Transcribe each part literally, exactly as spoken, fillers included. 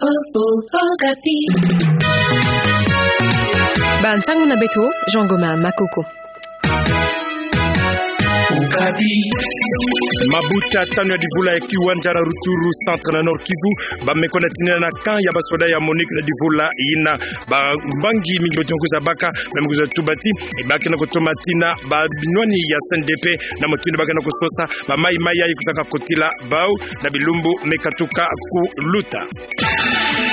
Oh, oh, Okapi. Ba nsangu na beto, Jean Goma Makoko. Okapi. Mabuta tanu ya divula ya kiwanja na Rutshuru Centre na Nord-Kivu, ba me kwenda tinina na camp ya basoda ya MONUC na divula yina. Bambangi mingi beto me kwiza baka, ba me kwiza tuba ti, e, ba ke na kutoma tina ba binwani ya C N D P, na mutindu ba ke na kusosa ba mayi-mayi yayi kwizaka kotila bau na bilumbu me katuka kuluta.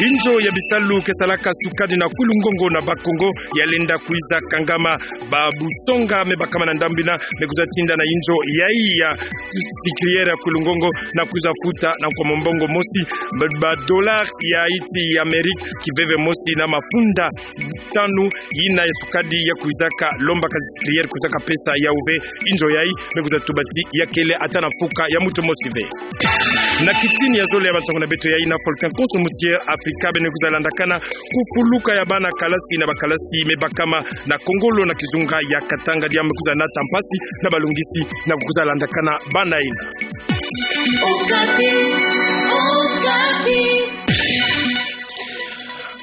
Inzo ya bisalu ke salaka sukadi na Kwilu Ngongo na Bas-Congo ya lenda kwiza kangama. Ba busonga me bakama na ndambu yina me kwiza tinda na inzo yayi ya sucrière ya Kwilu Ngongo na kwiza futa na nkwa mombongo mosi, ba, ba dollars ya iti ya Amérique kiveve mosi na mafunda tanu yina ya sukadi ya kwizaka lomba ka sucrière kwizaka pesa ya uve inzo yayi, me kwiza tuba ti ya kele ata na mfuka ya muntu mosi ve. Na kitini ya zole ya bansangu na beto yayi, na volcan Konso muti ya Afrika beno kwiza landakana kufuluka ya bana kalasi na bakalasi me bakama na kongolo na kizunga ya Katanga, diambu me kwiza nata mpasi na balungisi na kwiza landakana bana yina. Okapi, Okapi.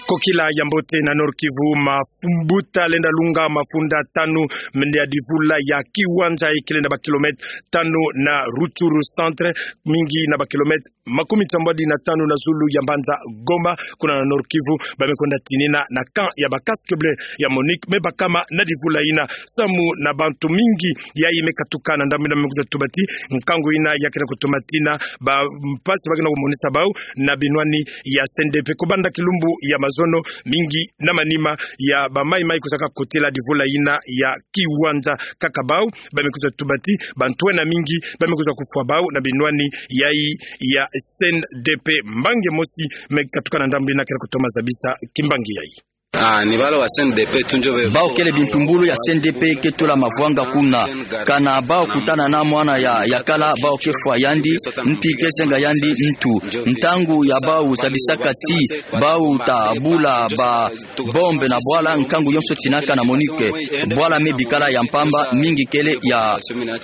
Kokila ya mbote na Nord-Kivu, mafumbuta lenda lunga mafunda tanu mende ya divula ya kiwanja ikele na ba kilomètre tanu na Rutshuru Centre, mingi na ba kilomètre makumi nsambwadi na tanu na zulu ya mbanza Goma, kuna na Nord-Kivu, ba me kwenda tinina na camp ya ba casques bleus ya MONUC me bakama na divula yina, samu na bantu mingi yayi me katuka na ndambu yina me kwiza tuba ti nkangu yina ya ke na kutoma tina ba mpasi ba ke na kumonisa bau na binwani ya C N D P. Kubanda kilumbu ya mazono, mingi na manima ya ba mayi-mayi kwizaka kotila divula yina ya kiwanja, kaka bau ba me kwiza tuba ti bantwenia mingi ba me kwiza kufwa bau na binwani yayi ya C N D P. Mbangi mosi me katuka na ndambu yina ke na kutoma zabisa kimbangi yayi. Ah, ni bala wa C N D P tu njo ve. Bau kele bimpumbulu ya C N D P ke tula mavwanga kuna. Kana bau kutana na mwana ya, ya kala, bau ke fwa yandi, mpi ke senga yandi ntu. Ntangu ya bau zabisaka ti bau ta bula ba bombe na bwala, nkangu yonso tinaka na MONUC. Bwala me bikala ya mpamba, mingi kele ya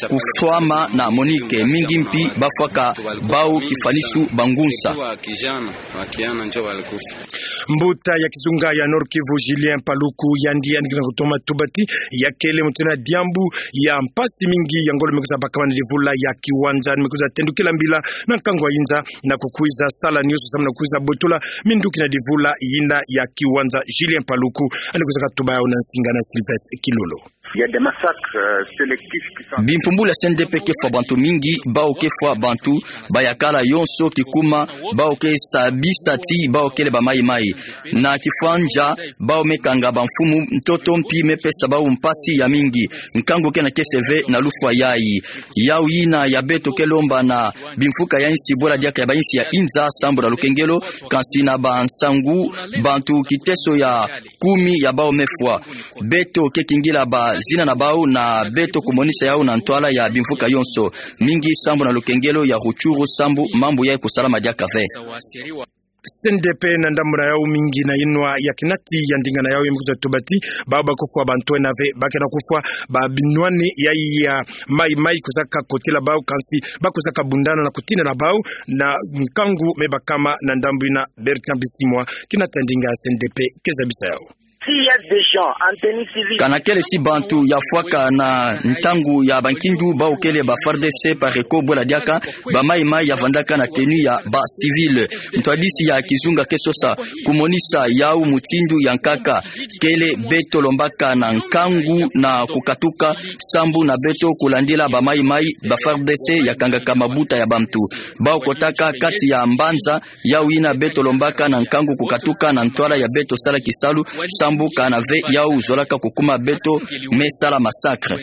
kufwama na MONUC, mingi mpi ba fwaka bau kifwanisu ba ngunza. Mbuta ya kizunga ya Nord-Kivu, Julien Paluku, yandi, yandi ke na kutoma tuba ti ya kele mutindu na diambu ya mpasi mingi ya ngolo me kwiza bakama na divula ya kiwanja, me kwiza tendukila mbila na nkangu wa inza na kukwiza sala nionso samu na kukwiza botola minduki na divula yina ya kiwanja. Julien Paluku, yandi kwiza katuba yau na nsinga na Sylvestre Kilolo. Il y a des massacres, euh, sélectifs qui sont... Bimpumbulu ya C N D P ke fwa bantu mingi, bau ke fwa bantu, ba ya kala yonso kikuma, bau ke zabisa ti bau kele ba mayi-mayi. Na kifwanja, bau me kanga bamfumu, ntoto mpi me pesa bau mpasi ya mingi. Nkangu ke na kese ve na lufwa yayi. Yau yina ya beto ke lomba na bimfuka ya insi bwela diaka ya ba insi ya inza sambu na lukengelo, kansi na bansangu, bantu kiteso ya kumi ya bau me fwa. Beto ke kingila bazina na bau na beto kumonisa yau na ntwala ya bimfuka yonso. Mingi sambu na lukengelo ya Rutshuru sambu mambu yayi kusalama diaka ve. C N D P na ndambu na yau mingi na inwa ya kinati ya ndinga na yau ya me kwiza tuba ti bau ba kufwa bantwenia ve, ba ke na kufwa ba binwani yayi ya mayi-mayi kwizaka kotila bau, kansi ba kwizaka bundana na kutinda na bau na nkangu me bakama na ndambu yina. Bertrand Bisimwa, kinati ya ndinga ya C N D P, ke zabisa yau. S'il y a des gens en tenue civile. Kana kele ti bantu ya fwaka na ntangu ya bankindu, bau kele ba F A R D C, PARECO, bwela diaka, ba mayi-mayi ya vandaka na tenue ya ba civil. Ntwadisi ya kizunga ke sosa kumonisa yau mutindu ya nkaka. Kele beto lombaka na nkangu na kukatuka sambu na beto kulandila ba mayi-mayi, ba F A R D C ya kangaka mabuta ya bantu. Bau kotaka kati ya mbanza, yau yina beto lombaka na nkangu kukatuka na ntwala ya beto sala kisalu, sambu kana ve yau zolaka kukuma beto me sala massacre.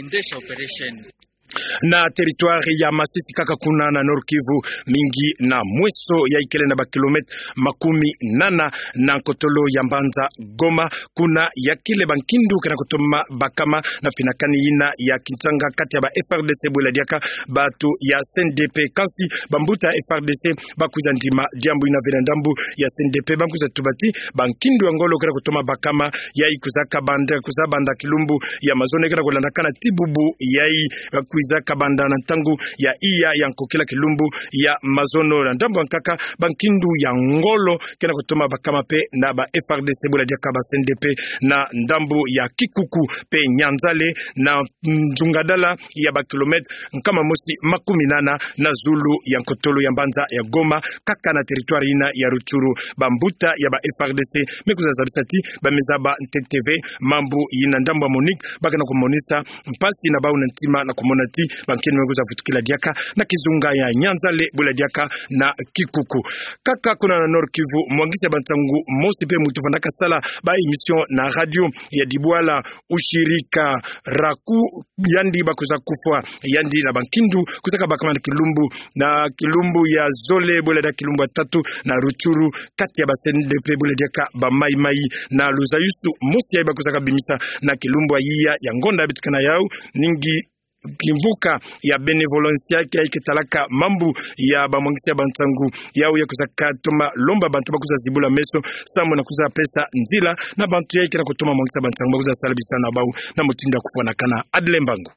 Na territoire ya Masisi kaka kuna na Nord-Kivu, mingi na mweso ya ikele na ba kilomètre makumi nana na nkotolo ya mbanza Goma, kuna ya kele bankindu ke na kutoma bakama na finakani yina ya kintanga kati ya ba F A R D C bwela diaka bantu ya C N D P. Kansi bambuta ya F A R D C ba kwiza ndima diambu yina ve na ndambu ya C N D P, ba kwiza tuba ti bankindu ya ngolo ke na kutoma bakama yayi kwizaka banda, kwiza banda kilumbu ya mazono ke na kulandakana ti bubu yayi, ba kwi- kwiza kabanda na ntangu ya iya ya nkokila kilumbu ya mazono. Na ndambu ya nkaka, bankindu ya ngolo ke na kutoma bakama mpe na ba F R D C, bwela diaka ba C N D P, na ndambu ya Kikuku mpe Nyanzale, na nzungadala ya ba kilomètre nkama mosi makumi nana na zulu ya nkotolo ya mbanza ya Goma, kaka na territoire yina ya Rutshuru. Bambuta ya ba F R D C me kwiza zabisa ti ba me zaba ntete ve mambu yina. Ndambu ya MONUC ba ke na kumonisa mpasi na bau na ntima na kumona ti bankento me kwiza vutukila diaka na kizunga ya Nyanzale, bwela diaka na Kikuku. Kaka kuna na Nord-Kivu, mwangisi ya bansangu mosi mpe muntu vandaka sala ba émission na radio ya Dibwala, Ushirika Raku, yandi ba kwiza kufwa yandi na bankindu kwiza kabakama na kilumbu, na kilumbu ya zole, bwela diaka kilumbu ya tatu na Rutshuru, kati ya ba C N D P, bwela diaka ba Mai-Mai. Na luzayusu mosi yayi ba kwiza kabimisa na kilumbu ya iya ya ngonda beto ke na yau, ningi kimvuka ya Bénévolencia, yayi ke talaka mambu ya bamwangisi ya bansangu, yau ya kwiza katoma lomba bantu ba kwiza zibula meso samu na kwiza pesa nzila na bantu yayi ke na kutoma mwangisa bansangu ba kwiza sala bisalu na bau na mutindu ya kufwanakana. Adle Mbangu.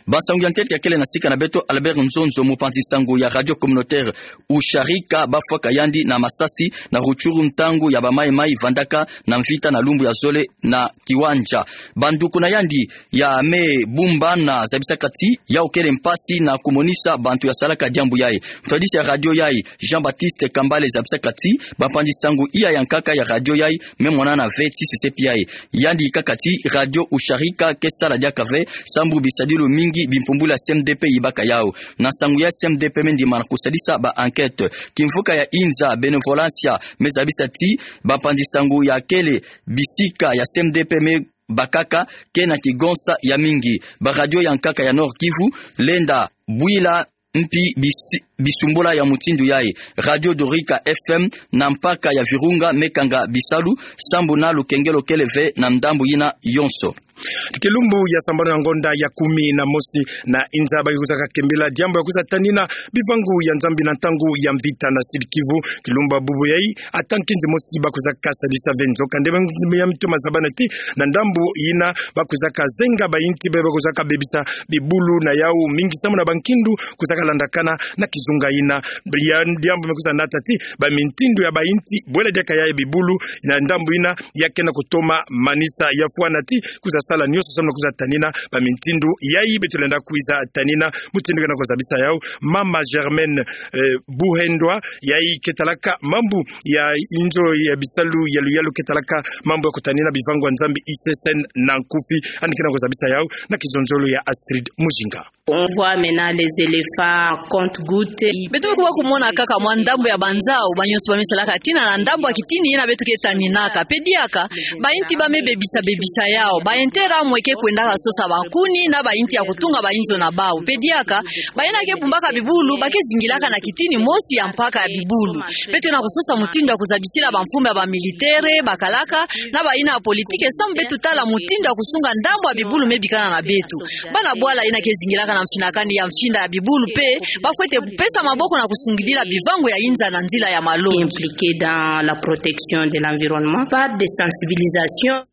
Bansangu ya ntete ya kele na sika na beto, Albert Nzonzo, mupanzi nsangu ya radio communautaire Usharika, bafwaka yandi na masasi na Rutshuru ntangu ya ba Mai-Mai vandaka na mvita na lumbu ya zole na Kiwanja. Banduku na yandi ya me bumba na zabisaka ti yau kele mpasi na kumonisa bantu ya salaka diambu yayi. Ntwadisi ya radio yayi, Jean-Baptiste Kambale, zabisaka ti bampanzi nsangu iya ya nkaka ya radio yayi me mwanana ve ti sesepi yayi. Yandi kaka ti radio Usharika ke sala diaka ve, sambu bisadilu mingi bimpumbulu ya C M D P yibaka yau. Na nsangu ya C M D P me ndima na kusadisa ba enquête. Kimvuka ya inza Bénévolencia me zabisa ti bampanzi nsangu ya kele bisika ya C M D P me bakaka ke na kigonsa ya mingi. Ba radio ya nkaka ya Nord-Kivu lenda bwila mpi bisi-, bisumbula ya mutindu yayi. Radio Dorika F M na mpaka ya Virunga me kanga bisalu, sambu na lukengelo kele ve na ndambu yina yonso. Kilumbu ya sambanu ya ngonda ya kumi na mosi na inza ba ke kwiza kakembila diambu ya kwiza tanina bivangu ya Nzambi na ntangu ya mvita na Sud-Kivu. Kilumbu ya bubu yayi, ata nkinzi mosi ba kwiza kasadisa ve. Nzokande, ya mito mazabana ti na ndambu yina ba kwiza kazenga bayinti ba, ba kwiza kabebisa bibulu na yau mingi samu na bankindu kwiza kalandakana na kizunga yina. Ya diambu me kwiza nata ti bamintindu ya bayinti, bwela diaka yayi bibulu, na ndambu yina ya ke na kutoma manisa. Ya fwana ti kwiza sala nionso samu na kwiza tanina bamintindu yayi beto lenda kwiza tanina. Mutindu ke na kuzabisa yau, Mama Germaine, eh, Buhendwa, yayi ke talaka mambu ya inzo ya bisalu ya luyalu ke talaka mambu ya kutanina bivangu ya Nzambi, I C S N na nkufi, yandi ke na kuzabisa yau na kizonzolo ya Astrid Mujinga. On voit maintenant les éléphants compte-gouttes. Beto me kubaka kumona kaka mwa ndambu ya banzau, ba nionso ba me salaka tina na ndambu ya kitini yina beto ke taninaka. Pe diaka, bayinti ba me bebisa bebisa yau. Ba intérêt ya mwe ke kwendaka sosa bankuni na bayinti ya kutunga bayinzo na bau. Pe diaka, bayina ke bumbaka bibulu, ba ke zingilaka na kitini mosi ya mpaka ya bibulu. Beto lenda kusosa mutindu ya kuzabisila bamfumu ya bamilitaire, bakalaka, na bayina ya politike, samu beto tala mutindu ya kusunga ndambu ya bibulu me bikana na beto. Bana bwala yina ke zingilaka na mfinakani ya mfinda ya bibulu pe, ba fwete pesa maboko na kusungidila bivangu ya inza na nzila ya malo. Impliqués dans la protection de l'environnement par des sensibilisations.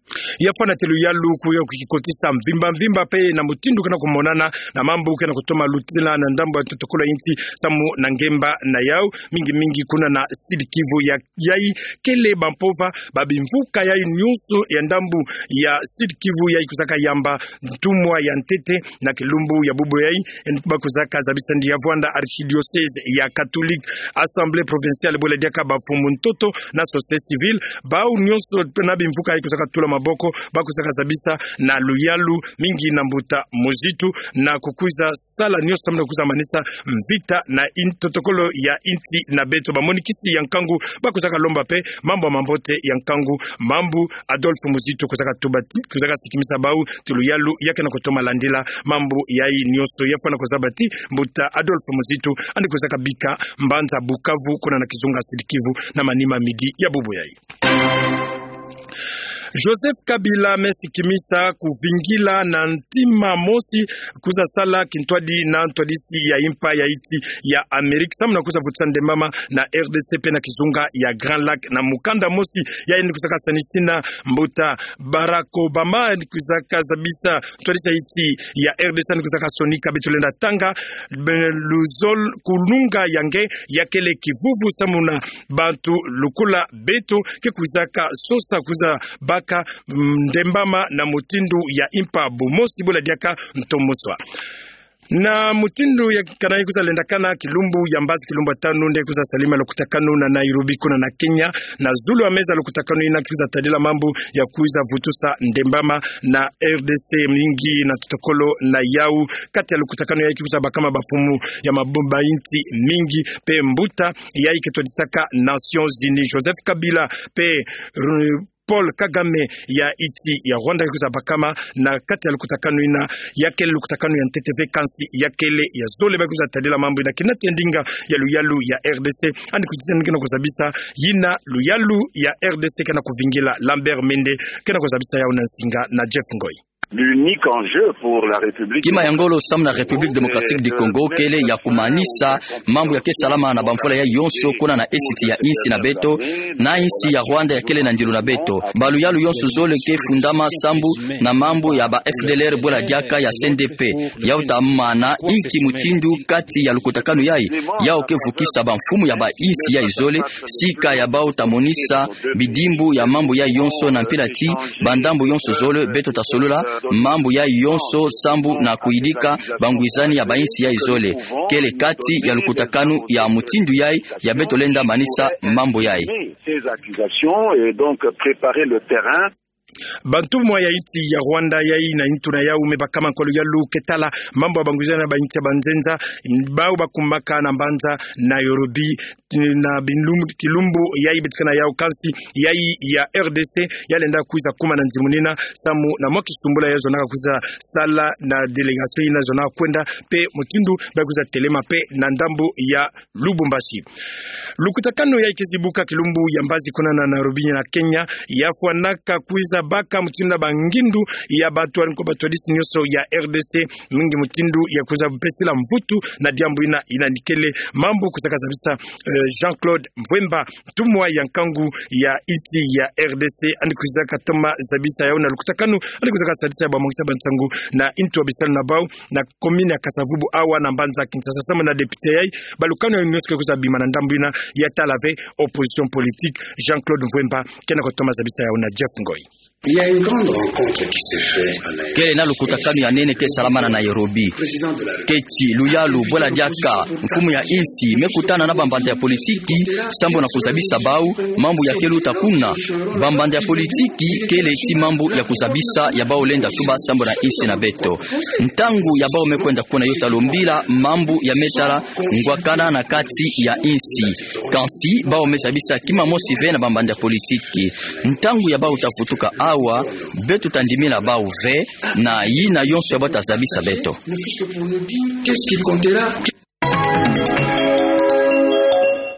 Ya fwana ti luyalu ku ya kukikotisa mvimba mvimba pe na mutindu ke na kumonana na mambu ke na kutoma lutila na ndambu ya ntotokolo ya insi samu na ngemba na yau, mingi mingi kuna na Sud-Kivu ya yayi kele bampova ba bimvuka yayi nionso ya ndambu ya Sud-Kivu yayi kwizaka yamba ntumwa ya ntete na kilumbu ya bubu yayi, ba kwizaka zabisa ndi ya vwanda archidiocèse ya catholique, assemblée provinciale, bwela diaka bamfumu ntoto na société civile, bau nionso na bimvuka yayi kwizaka tula maboko, ba kwizaka zabisa na luyalu mingi na mbuta Muzitu, na kukwiza sala nionso samu na kukwiza manisa mvita na in-, ntotokolo ya insi na beto. Bamonikisi ya nkangu ba kwizaka lomba pe mambu ya mambote ya nkangu, mambu Adolphe Muzitu kwizaka tuba ti, kwizaka sikimisa bau ti luyalu ya ke na kutoma landila mambu yayi nionso. Ya fwana kuzaba ti mbuta Adolphe Muzitu yandi kwizaka bika mbanza Bukavu, kuna na kizunga Sud-Kivu, na manima midi ya bubu yayi. Joseph Kabila me sikimisa kuvingila na ntima mosi kwiza sala kintwadi na ntwadisi ya impa ya insi ya Amerika samu na kwiza vutisa ndembama na R D C pe na kizunga ya Grand Lac na mukanda mosi ya yandi kwizaka sanisina mbuta Barack Obama, yandi kwizaka zabisa ntwadisi ya insi ya R D C, yandi kwizaka sonika beto lenda tanga, be, luzolo kulunga ya nge ya kele kivuvu samu na bantu lokola beto ke kwizaka sosa kwiza baka, mm, ndembama na mutindu ya impa bumosi bula diaka ntomo swa. Na mutindu ya kana kwiza lendakana kilumbu ya mbazi, kilumbu ya tanu nde kwiza salima lukutakanu na Nairobi kuna na Kenya, na zulu ya meza lukutakanu yina kwiza tadila mambu ya kwiza vutusa ndembama na R D C mingi na totokolo na yau. Kati ya lukutakanu yayi kwiza bakama bamfumu ya mabumba insi mingi pe mbuta yayi ke twadisaka Nations Unies, Joseph Kabila pe Ru-, Paul Kagame ya insi ya Rwanda ke kwiza bakama na kati ya lukutakanu yina, ya kele lukutakanu ya ntete ve kansi ya kele ya zole ba kwiza tadila mambu yina kina tendinga ya luyalu ya R D C. Yandi kwiza tendinga na kuzabisa yina luyalu ya R D C kena kuvingila. Lambert Mende kena kuzabisa yau na nsinga na Jeff Ngoi. L'unique enjeu pour la République Kima ya ngolo samu na République Démocratique du Congo kele ya kumanisa mambu ya ke salama na bamvula yayi yonso kuna na esiti ya insi na beto, na insi ya Rwanda ya kele na ndilu na beto. Baluyalu yonso zole ke fundama sambu na mambu ya ba F D L R bula diaka ya C N D P. Yau ta mana inki mutindu kati ya lukutakanu yayi, yau ke vukisa bamfumu ya ba insi yayi zole, sika ya bau ta monisa bidimbu ya mambu yayi yonso na mpila ti bandambu yonso zole beto ta solola mambu yayi yonso sambu na kuyidika bangwizani ya ba insi yayi zole. Kele kati ya lukutakanu ya mutindu yayi ya beto lenda manisa mambu yayi. Ces accusations et donc préparer le terrain. Bantumwa ya insi ya Rwanda yayi na nitu na yau me bakama kwa luyalu ke tala mambu ya bangwizani ya ba insi ya banzenza, bau bakumaka na mbanza Nairobi, na bilumbu, kilumbu yayi beto ke na yau kansi yayi ya R D C ya lenda kwiza kuma na nzimunina samu na mwa kisumbula ya zonaka kwiza sala na délégation yina zonaka kwenda pe mutindu ba kwiza telema pe na ndambu ya Lubumbashi. Lukutakanu yayi ke zibuka kilumbu ya mbazi kuna na Nairobi na Kenya, ya fwanaka kwiza baka mutindu na bangindu ya bantu wani ko batwadisi nyonso ya R D C, mingi mutindu ya kwiza pesila mvutu na diambu yina, yina ni kele mambu kwizaka zabisa, eh, Jean-Claude Mvwemba, ntumwa ya nkangu ya insi ya R D C, yandi kwizaka toma zabisa yau na lukutakanu yandi kwizaka sadisa ya bamongisa bansangu na nitu ya bisalu na bau na commune ya Kasa-Vubu awa na mbanza Kinshasa samu na député yayi, balukanu yayi nyonso ke kwiza bima na ndambu yina ya tala ve opposition politique. Jean-Claude Mvwemba kena kutoma zabisa yau na Jeff Ngoi. Il y a une grande rencontre qui s'est faite en Nairobi. Kele na lukutakanu ya nene ke salama na Nairobi. Keti luyalu bula diaka mfumu ya insi me kutana na bambanda ya politiki sambu na kuzabisa bau mambu ya ke luta kuna. Bambanda ya politiki kele ti mambu ya kuzabisa ya bau lenda tuba sambu na insi na beto. Ntangu ya bau me kwenda kuna yo ta lombila mambu ya me tala ngwakana na kati ya insi. Kansi bau me zabisa kima mosi ve na bambanda ya politiki. Ntangu ya bau ta vutuka awa, beto ta ndimila bau ve na yina yonso ya bau ta zabisa beto. Ne fût-ce que pour nous dire qu'est-ce qui comptera.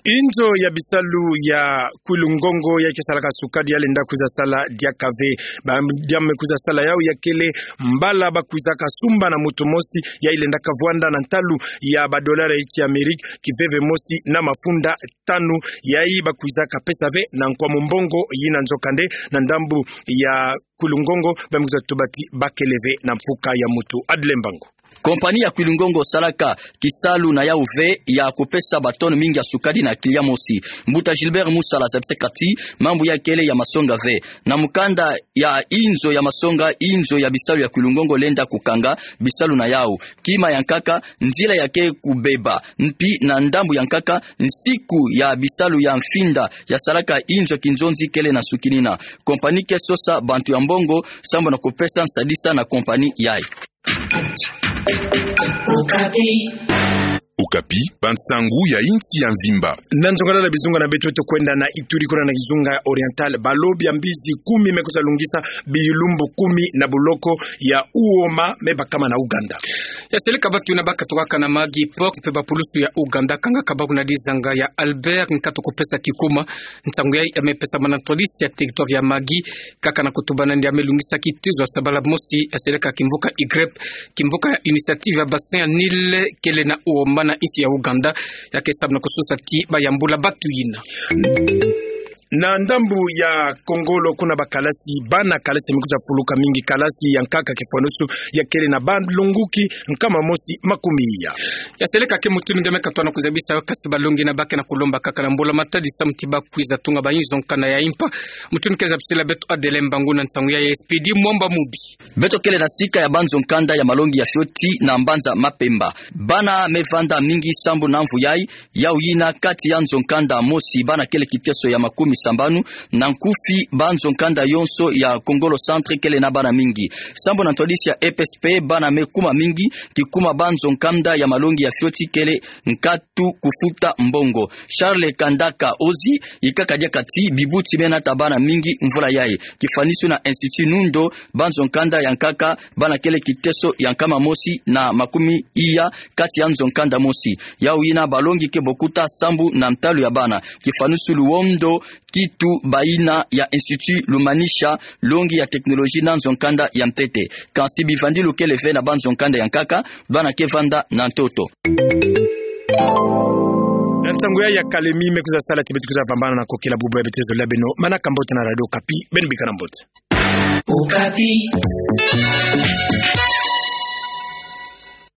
Inzo ya bisalu ya Kwilu Ngongo yayi ke salaka sukadi ya lenda kwiza sala diaka ve. Ba diambu me kwiza sala yau ya kele mbala ba kwizaka sumba na mutu mosi yayi lendaka vwanda na ntalu ya ba dollar ya insi ya Amerika kiveve mosi na mafunda tanu, yayi ba kwizaka pesa ve na nkwamu mbongo yina. Nzokande na ndambu ya Kwilu Ngongo ba me kwiza tuba ti ba kele ve na mfuka ya mutu. Adle Mbangu. Kompani ya Kwilu Ngongo salaka kisalu na yau ve ya kupesa ba tonne mingi ya sukadi na client mosi. Mbuta Gilbert Musala zabisaka ti mambu yayi kele ya masonga ve. Na mukanda ya inzo ya masonga, inzo ya bisalu ya Kwilu Ngongo lenda kukanga bisalu na yau. Kima ya nkaka, nzila ya ke kubeba. Mpi na ndambu ya nkaka, nsiku ya bisalu ya mfinda ya salaka inzo ya kinzonzi kele na sukinina. Kompani ke sosa bantu ya mbongo sambu na kupesa nsadisa na kompani yayi. Okapi, bansangu ya insi ya mvimba. Na nzongalala bizunga na beto, beto kwenda na Ituri, kuna na kizunga Oriental, balobi ya mbizi kumi me kwiza lungisa bilumbu kumi na boloko ya uoma me bakama na Ouganda. Ya seleka batu yina bakatukaka na Magui Port mpe bapulusu ya Ouganda kangaka bako na dizanga ya Albert, nkatu kupesa kikuma. Nsangu yayi ya me pesamana na ntwadisi ya territoire ya Magui, kaka na kutuba na ndia me lungisa kitezo ya sabala mosi ya seleka kimvuka IGREP, kimvuka ya Initiative ya Bassin ya Nil, kele na uoma na insi ya Ouganda, ya ke samu na kususa ti bayambula batu yina. Na ndambu ya Kongolo, kuna bakalasi, bana kalasi me kwiza fuluka mingi, kalasi ya nkaka kifwanusu ya kele na balonguki nkama mosi makumi iya. Ya seleka ke mutu mingi me katwa na kuzabisa yo, kasi balongi yina ba ke na kulomba kaka na mbula-matadi samu ti ba kwiza tunga banzo nkanda ya impa. Mutu ni ke zabisila beto Adele Mbangu na nsangu yayi, Expédit Mwamba Mubi. Beto kele na sika ya banzo nkanda ya malongi ya fioti na mbanza Mapemba. Bana me vanda mingi sambu na mvu yayi, yau yina kati ya nzo nkanda mosi bana kele kiteso ya makumi sambanu, na nkufi banzo nkanda yonso ya Kongolo Centre kele na bana mingi. Sambu na ntwadisi ya E P S P, bana me kuma mingi, kikuma banzo nkanda ya malongi ya fioti kele nkatu kufuta mbongo. Charles Kandaka Ozi, yikaka diaka ti bibuti me nata bana mingi mvula yayi. Kifwanusu na Institut Nundo, banzo nkanda ya nkaka bana kele kiteso ya nkama mosi na makumi iya kati ya nzo nkanda mosi. Yau yina balongi ke bokuta sambu na ntalu ya bana. Kifwanusu Luondo, kitu bayina ya Institut Lumanisha, longi ya technologie na nzo nkanda ya ntete. Kansi bivandilu kele ve na banzo nkanda ya nkaka, bana ke vanda na ntoto. Na nsangu yayi ya kalemi me kwiza sala ti beto kwiza vambana na kokila bubu ya beto, zola beno manaka mbote na Radio Okapi, beno bikana mbote. Okapi.